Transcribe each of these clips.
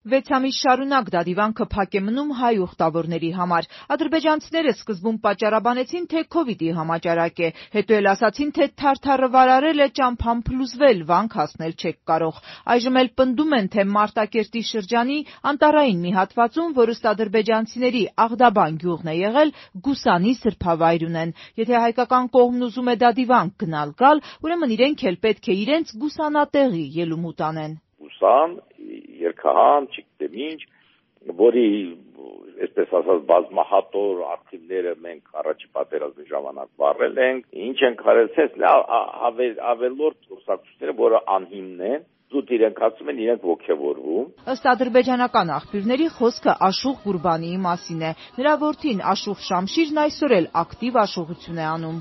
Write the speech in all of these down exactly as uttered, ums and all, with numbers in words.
Վեց ամիս շարունակ դադիվանքը փակ է մնում հայ ուխտավորների համար։ Ադրբեջանցիները սկզբում պատճառաբանեցին, թե քովիդի համաճարակ է, հետո էլ ասացին, թե թարթարը վարարել է, ճամփան փլուզվել, վանք հասնել չեք կարող։ Այժմ էլ պնդում են, թե Մարտակերտի շրջանի անտառային մի հատվածում, որ ըստ ադրբեջանցիների Աղդաբան գյուղն է եղել, Գուսանի սրբավայր ունեն։ Եթե հայկական կողմն ուզում է դադիվանք գնալ-գալ, ուրեմն իրենք էլ պետք է իրենց գուսանատեղի ելումուտ անեն։ Գուսան, երկհան, չգիտեմ ինչ, որի, այսպես ասած, բազմահատոր արխիվները մենք առաջի պատերազմի ժամանակ վառել ենք, ինչ ենք հարեցել, ավելորդ խոսակցությունները, որը անհիմն են, զուտ իրենք ասում են, իրենք ոգևորվում։ Ըստ ադրբեջանական աղբյուրների խոսքը Աշուղ Գուրբանիի մասին է։ Նրա որդին Աշուղ Շամշիրն այսօր էլ ակտիվ աշուղություն է անում։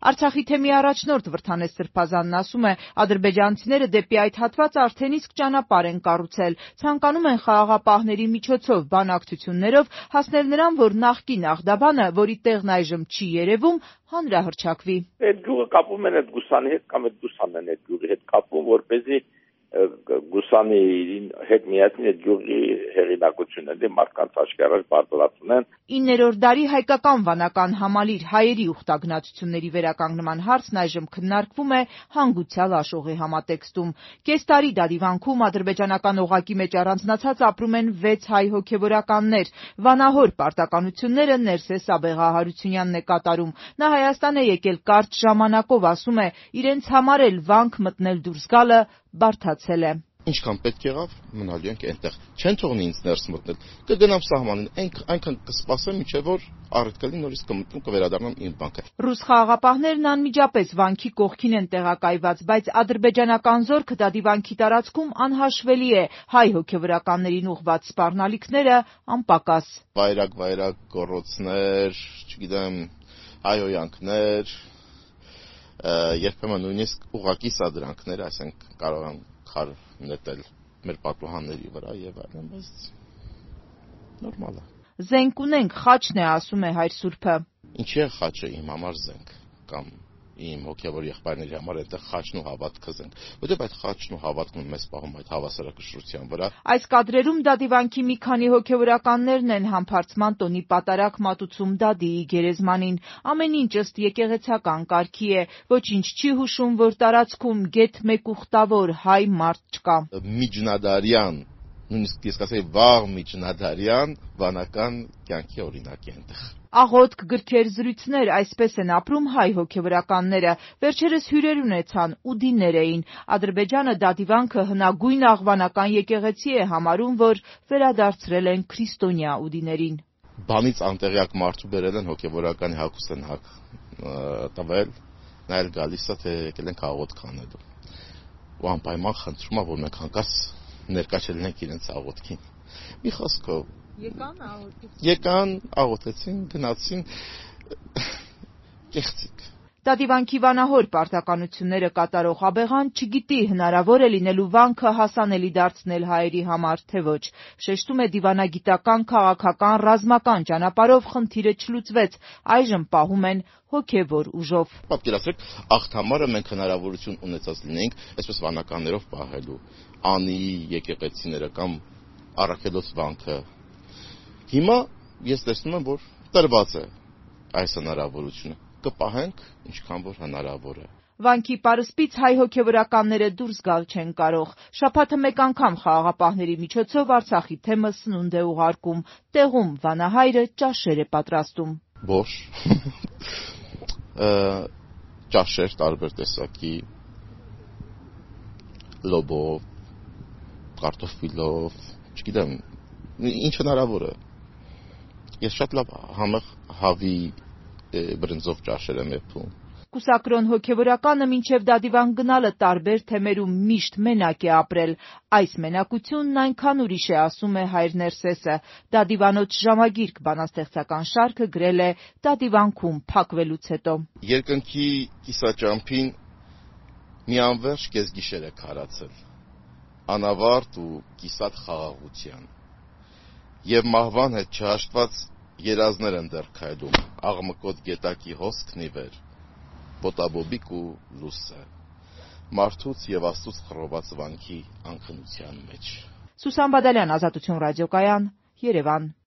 Արցախի թեմի առաջնորդ Վրդանես Սրբազանն ասում է, ադրբեջանցիները դեպի այդ հատվածը արդեն իսկ ճանապարհ են կառուցել, ցանկանում են խաղաղապահների միջոցով բանակցություններով հասնել նրան, որ նախկին Աղդաբանը, որի տեղն այժմ չի երևում, հանրահռչակվի։ Այդ գյուղը կապում են այդ Գուսանի հետ կամ այդ Գուսանն են այդ գյուղի հետ կապում, որպեսզի Գուսանի հետ միասին այդ գյուղի հեղինակությունը դե մարդկանց աշխարհը բարձրացնեն են։ իններորդ դարի հայկական վանական համալիր հայերի ուխտագնացությունների վերականգնման հարցն այժմ քննարկվում է հանգուցյալ աշուղի համատեքստում։ Կես տարի դադիվանքում ադրբեջանական օղակի մեջ առանձնացած ապրում են վեց հայ հոգևորականներ։ Վանահոր պարտականությունները Ներսես Աբեղահարությունյանն է կատարում։ Նա Հայաստան է եկել կարճ ժամանակով, ասում է, իրենց համար էլ վանք մտնել դուրս գալը բարդացել է։ Ինչքան պետք եղավ, մնալու ենք այնտեղ։ Չեն թողնի ինձ ներս մտնել։ Կգնամ սահմանին, այնքան կսպասեմ, մինչև որ առիթ կլինի նորից կմտնեմ, կվերադառնամ իմ վանքը։ Ռուս խաղաղապահներն անմիջապես վանքի կողքին են տեղակայված, բայց ադրբեջանական զորքը դադիվանքի տարածքում անհաշվելի է, հայ հոգևորականներին ուղղված սպառնալիքները անպակաս։ Վայրագ-վայրագ գոռոցներ, չգիտեմ, հայհոյանքներ, երբեմն նույնիսկ ուղղակի սադրանքներ, ասենք կարող են քար նետել մեր պատուհանների վրա եւ այլն, բայց նորմալ է։ Զենք ունենք, խաչն է, ասում է հայր Սուրբը։ Ինչի է խաչը իմ համար զենք կամ իմ հոգևոր եղբայրների համար այդտեղ խաչն ու հավատքը զենք, որտեղ այդ խաչն ու հավատքը մեզ պահում այդ հավասարակշռության վրա։ Այս կադրերում դադիվանքի մի քանի հոգևորականներն են համբարձման տոնի պատարակ մատուցում Դադիի գերեզմանին։ Ամեն ինչ ըստ եկեղեցական կարգի է, ոչինչ չի հուշում, որ տարածքում գեթ մեկ ուխտավոր հայ մարդ չկա։ Միջնադարյան, նույնիսկ ես կասեի վաղ միջնադարյան վանական կյանքի օրինակ է այնտեղ։ Աղոթք, գրքեր, զրույցներ, այսպես են ապրում հայ հոգևորականները։ Վերջերս հյուրեր ունեցան, ուդիներ էին։ Ադրբեջանը դադիվանքը հնագույն աղվանական եկեղեցի է համարում, որ վերադարձրել են քրիստոնյա ուդիներին։ Բանից անտեղյակ մարդու բերել են հոգևորականի հագուստ են հագ տվել, նա էլ գալիս է, թե եկել ենք աղոթք անելու։ Ու անպայման խնդրում է, որ մենք հանկարծ ներկա չլինենք իրենց աղոթքին։ Մի խոսքով Եկան աղոթեցին։ Եկան, աղոթեցին, գնացին, կեղծիկ։ Դադիվանքի վանահոր պարտականությունները կատարող Աբեղան չգիտի հնարավոր է լինելու վանքը հասանելի դարձնել հայերի համար, թե ոչ։ Շեշտում է դիվանագիտական, քաղաքական, ռազմական ճանապարհով խնդիրը չլուծվեց, այժմ պահում են հոգևոր ուժով։ Պատկերացրեք, աղթամարը մենք հնարավորություն ունեցած լինենք այսպես վանականներով պահելու, անի եկեղեցիները կամ առաքելոց վանքը։ Հիմա ես տեսնում եմ, որ տրված է այս հնարավորությունը։ Կպահենք, ինչքան որ հնարավոր է։ Վանքի պարսպից հայ հոգևորականները դուրս գալ չեն կարող։ Շաբաթը մեկ անգամ խաղաղապահների միջոցով Արցախի թեմը սնունդ է ուղարկում։ Տեղում վանահայրը ճաշեր է պատրաստում։ Բոշ, ճաշեր տարբեր տեսակի, լոբով, կարտոֆիլով, չգիտեմ, ինչ հնարավոր է։ Ես շատ լավ համեղ հավի բրնձով ճաշեր եմ եփում։ Կուսակրոն հոգևորականը մինչև դադիվան գնալը տարբեր թեմերում միշտ մենակ է ապրել։ Այս մենակությունն այնքան ուրիշ է, ասում է հայր Ներսեսը։ Դադիվանոց ժամագիրք բանաստեղծական շարքը գրել է դադիվանքում փակվելուց հետո։ Երկնքի կիսաճամփին մի անվերջ կեսգիշեր է քարացել, անավարտ ու կիսատ խաղաղության։ Եվ մահվան հետ չհաշտված երազներ են դեռ քայլում, աղմկոտ գետակի հոսքն ի վեր, ոտաբոբիկ ու լուսը։ մարդուց եւ Աստծուց խռոված վանքի անքնության մեջ։ Սուսան Բադալյան, Ազատություն ռադիոկայան, Երևան։